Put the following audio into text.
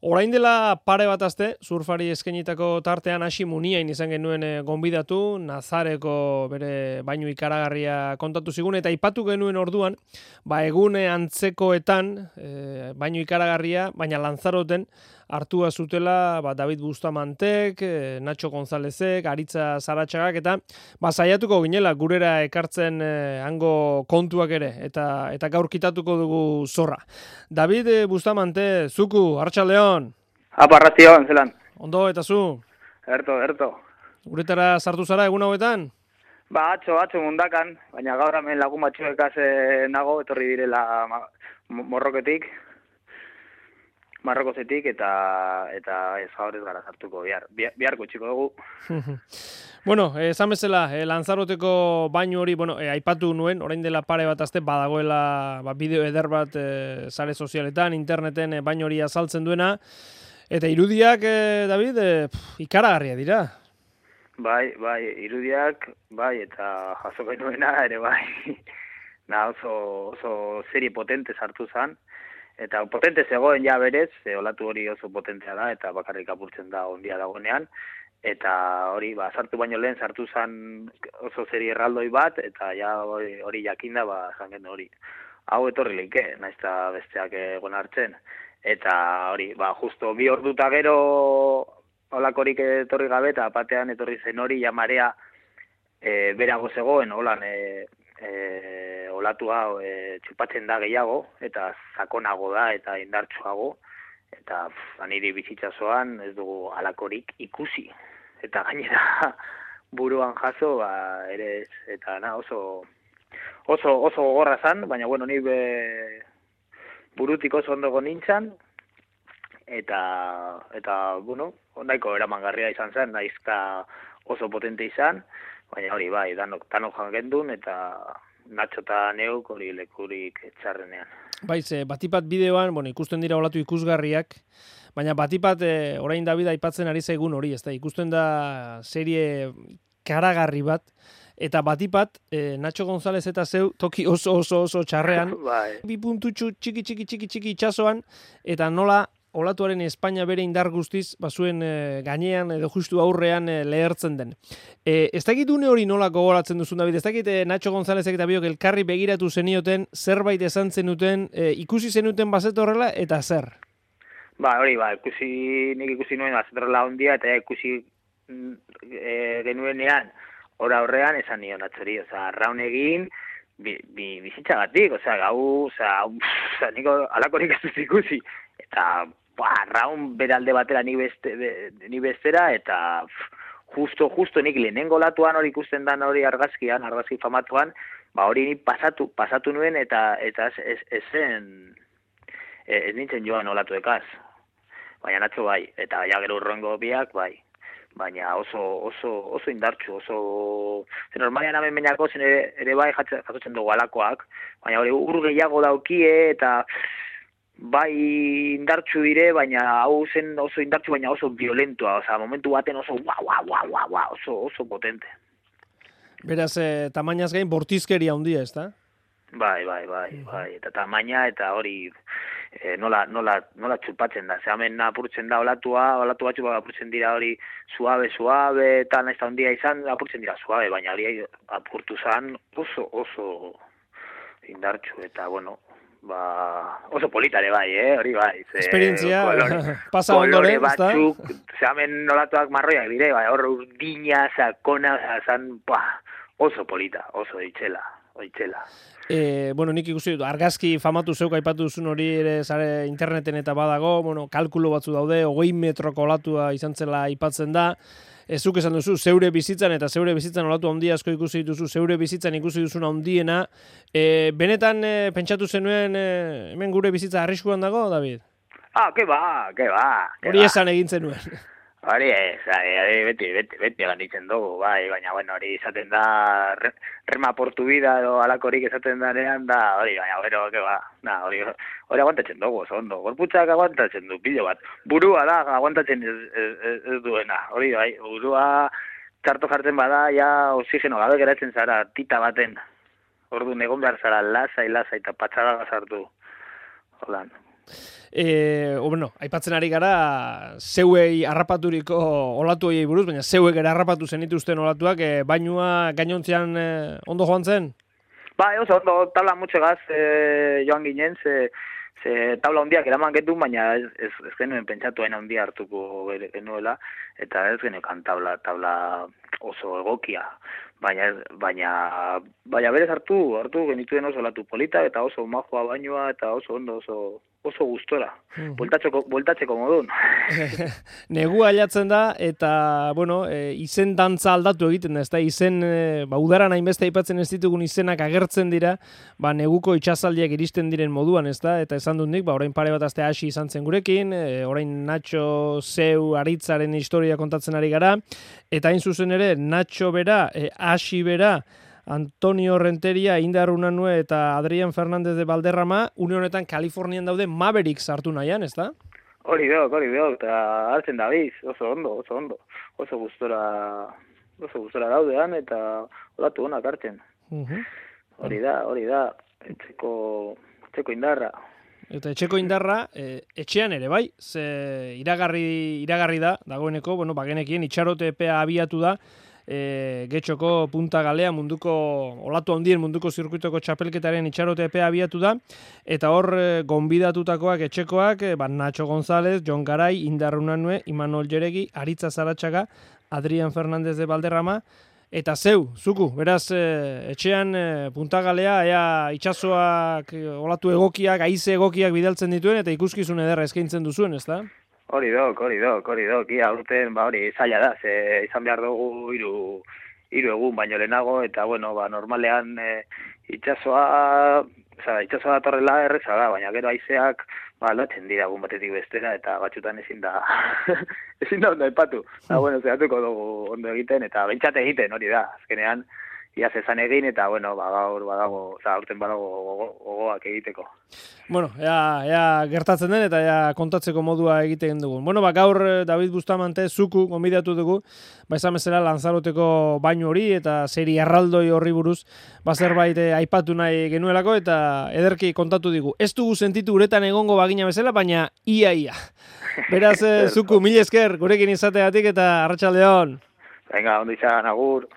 Orain dela pare bat aste, surfari eskainitako tartean hasi Muniain izan genuen gonbidatu, Nazareko bere bainu ikaragarria kontatu zigun, eta aipatu genuen orduan, egune antzekoetan, bainu ikaragarria, baina Lanzaroten, hartua zutela David Bustamantek, Nacho Gonzalezek, Aritza Zaratxagak, eta saiatuko ginela gurera ekartzen hango kontuak ere, eta gaur kitatuko dugu zorra. David Bustamante, zuku, Arratsaldeon. Apa, arratsaldeon, zelan. Ondo, eta zu? Erto. Guretara sartu zara egun hauetan? Atzo mundakan, baina gaur hemen lagun batzuekaz nago, etorri direla Marrokozetik, eta ez gaur ez gara sartuko, biharko txiko dugu. Bueno, esan bezala, Lanzaroteko bainu hori, aipatu nuen, orain dela pare bat aste badagoela bideo eder bat sare sozialetan, interneten bainu hori azaltzen duena, eta irudiak, David, ikaragarria dira. Bai, irudiak, eta jaso genuena ere bai. Oso serie potente sartu zen, eta potente zegoen ja berez, olatu hori oso potentea da, eta bakarrik apurtzen da ondia dagoenean, eta hori, sartu baino lehen sartu zen oso serie erraldoi bat, eta ja hori jakinda, zangen hori. Hau etorri leike, naiz eta besteak egon hartzen. Eta hori, justo 2 orduta gero holakorik etorri gabe, eta batean etorri zen hori, ja marea berago zegoen, holan, olatu hau txupatzen da gehiago, eta sakonago da, eta indartsuago, eta niri bizitzazoan ez dugu halakorik ikusi. Eta gainera buruan jaso, ere, eta oso gogorra zan, baina ni burutik oso ondogo nintzen, eta nahiko eramangarria izan zen, naizka oso potente izan, baina hori bai, danok jangendun, eta Nacho eta neuk hori lekurik txarrenean. Baiz, batipat bideoan, ikusten dira olatu ikusgarriak, baina batipat orain David aipatzen ari zaigun hori, ezta ikusten da serie karagarri bat, eta batipat Nacho González eta zeu toki oso txarrean, Bai. 2 puntutxu txiki itxasoan, eta nola olatuaren Espainia bere indar guztiz, zuen gainean edo justu aurrean lehertzen den. Ez dakit une hori nola gogoratzen duzun, David? Ez dakit Nacho Gonzálezek eta biok elkarri begiratu zenioten, zerbait esan zenuten, ikusi zenuten bazetorrela, eta zer? Nik ikusi nuen bazetorrela ondia, eta ikusi genuenean, ora horrean esan nion atzori, raun egin, bizitzagatik, niko alakorik ez dut ikusi, eta raun beralde batera ni bestera, eta justo nik lehenengo latuan hori ikusten dan hori argazki famatuan, hori ni pasatu nuen, eta ez nintzen joan olatuekaz. Baina Nacho bai, eta gero urrengo biak bai. Baina oso indartsu, normalian hemen meinako zen ere bai jasotzen dugu alakoak, baina hori ur gehiago daukie, eta bai indartsu dire, baina hau zen oso indartsu, baina oso violentua, momentu baten oso oso potente. Beraz, tamainaz gain bortizkeria handia, ez da? Bai, eta tamaina, eta hori nola txupatzen da. Hemen apurtzen da olatu batzu apurtzen dira hori suabe, eta nahiz da handia izan apurtzen dira suabe, baina hori apurtu zan oso indartsu, eta oso politare bai, hori bai. Esperientzia, pasa ondoren, ez da? Kolore batzuk, hemen olatuak marroiak dire, hor urdina, sakona, oso polita, oso itxela. Nik ikusi dut, argazki famatu zeuk aipatu duzun hori ere zare interneten eta badago, kalkulo batzu daude, 20 metroko olatua izan zela aipatzen da, zuk esan duzu, zeure bizitzan olatu handia asko ikusi dituzu, zeure bizitzan ikusi duzuna handiena, benetan pentsatu zenuen hemen gure bizitza arriskuan dago, David? Ke ba. Hori esan egin zenuen. Hori ez, beti ganditzen dugu, baina hori izaten da, rema portu bida edo alakorik esaten danean, hori, baina hori aguantatzen dugu, oso ondo, gorputzak aguantatzen du, pilo bat, burua da aguantatzen ez duena, hori bai, burua txarto jartzen bada, ja oxigeno gabe geratzen zara, tita baten, orduan egon behar zara lasai eta patxaga sartu, holan. Bueno, aipatzen ari gara, zeuei harrapaturiko olatu horiei buruz, baina zeuek ere harrapatu zenituzten olatuak, bainua gainontzean ondo joan zen? Bai, oso ondo, tabla mutxegaz joan ginen, ze tabla hondiak eraman getun, baina ez genuen pentsatu hain hondia hartuko genuela, eta ez genukan tabla oso egokia. Baina berez hartu genituen oso olatu polita, eta oso majoa bainua, eta oso ondo, oso gustora. Bueltatzeko modun. Negua ailatzen da, eta, bueno, izen dantza aldatu egiten da, ez da, izen, udaran hainbeste aipatzen ez ditugun izenak agertzen dira, neguko itxasaldiak iristen diren moduan, ez da, eta esan dut nik, orain pare bat aste hasi izan zen gurekin, orain Nacho Zeu Aritzaren historia kontatzen ari gara, eta hain zuzen ere, Nacho bera, hasi bera, Antonio Renteria, Indar Unanue eta Adrián Fernández de Valderrama, une honetan Kalifornian daude Mavericks hartu nahian, ez da? Hori beok, eta hartzen dabiz, oso ondo, oso gustora daudean, eta olatu honak hartzen. Hori da, etxeko indarra. Eta etxeko indarra, etxean ere, bai? Ze iragarri da, dagoeneko, bueno, bagenekien itxarote epea abiatu da, Getxoko Punta Galea olatu handien munduko zirkuitoko txapelketaren itxarote epea abiatu da, eta hor gonbidatutakoak etxekoak, Nacho González, Jon Garay, Indar Unanue, Imanol Jeregi, Aritza Zaratxaga, Adrián Fernández de Valderrama, eta zuku, beraz, etxean Punta Galea, ea itxasoak, olatu egokiak, haize egokiak bidaltzen dituen, eta ikuskizun ederra eskaintzen duzuen, ez da? Hori dok, ia urten, hori zaila da, ze izan behar dugu hiru egun baino lehenago, eta bueno, normalean itxasoa datorrela erreza da, baina gero haizeak aldatzen dira egun batetik bestera, eta batzutan ezin da ondo aipatu. Bueno, zehatuko dugu ondo egiten, eta bentsate egiten, hori da, azkenean, ia zezan egin, eta bueno, gaur badago, urten badago gogoak egiteko. Bueno, ea gertatzen den, eta ea kontatzeko modua egiten dugu. Bueno, gaur David Bustamante zuku gonbidatu dugu, esan bezala Lanzaroteko bainu hori, eta seri erraldoi horri buruz, zerbait aipatu nahi genuelako, eta ederki kontatu digu. Ez dugu sentitu uretan egongo bagina bezala, baina ia. Beraz, zuku, mil esker, gurekin izateatik, eta arratsaldeon. Venga, ondo izan, agur.